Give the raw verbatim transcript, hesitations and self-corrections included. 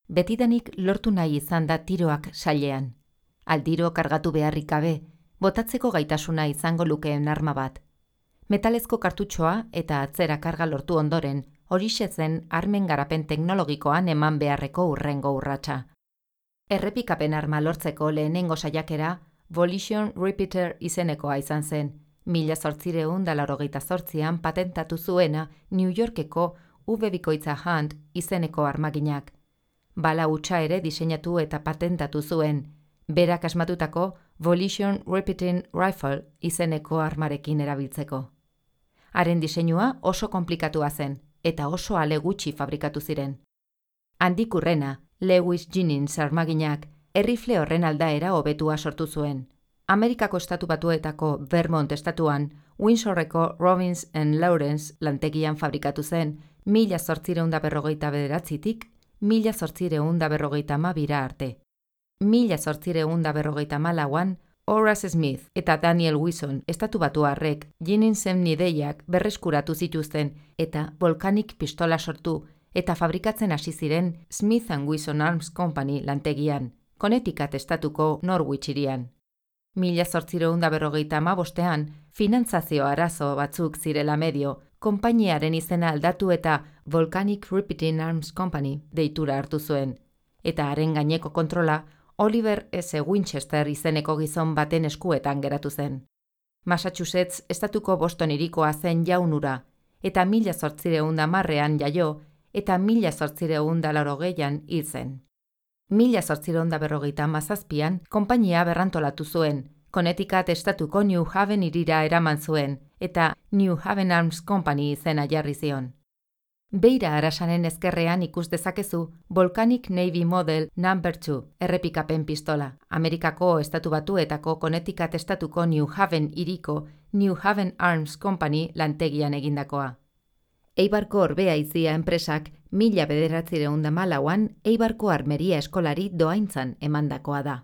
Betidanik lortu nahi izan da tiroak sailean. Aldiro kargatu beharrik gabe, botatzeko gaitasuna izango lukeen arma bat. Metalezko kartutxoa eta atzera karga lortu ondoren, horixe zen armen garapen teknologikoan eman beharreko urrengo urratsa. Errepikapen arma lortzeko lehenengo saiakera, Volition Repeater izenekoa izan zen, mila zortzireun da laurogeita zortzian patentatu zuena New Yorkeko V bikoitza Hunt izeneko armaginak. Bala hutsa ere diseinatu eta patentatu zuen, berak asmatutako Volition Repeating Rifle izeneko armarekin erabiltzeko. Haren diseinua oso konplikatua zen, eta oso ale gutxi fabrikatu ziren. Handik urrena, Lewis Jennings armaginak, errifle horren aldaera hobetua sortu zuen. Amerikako estatu batuetako Vermont estatuan, Windsorreko Robbins and Lawrence lantegian fabrikatu zen, mila zortzireun da berrogeita bederatzitik, mila zortzireun da berrogeita amabira arte. Mila zortzireun da berrogeita amalauan, Horace Smith eta Daniel Wilson estatu batuarrek Jenningsen ideiak berreskuratu zituzten eta Volcanic pistola sortu eta fabrikatzen hasi ziren Smith and Wesson Arms Company lantegian, Connecticut estatuko Norwich hirian. Mila zortzireun da berrogeita amabostean, finantzazio arazo batzuk zirela medio, konpainiaren izena aldatu eta Volcanic Repeating Arms Company deitura hartu zuen, eta haren gaineko kontrola Oliver S. Winchester izeneko gizon baten eskuetan geratu zen. Massachusetts estatuko Boston hirikoa zen jaunura, eta mila zortzireun da hamarrean jaio, eta mila zortzireun da laurogeian hil zen. Mila zortzireun da berrogeita hamazazpian, konpainia berrantolatu zuen, Connecticut estatuko New Haven hirira eraman zuen, eta New Haven Arms Company izena jarri zion. Beira arasanen ezkerrean ikus dezakezu Volcanic Navy Model number two errepikapen pistola, Amerikako estatu batuetako Connecticut estatuko New Haven hiriko New Haven Arms Company lantegian egindakoa. Eibarko Orbeaizia enpresak mila bederatzireun da hamalauan Eibarko Armeria eskolari dohaintzan emandakoa da.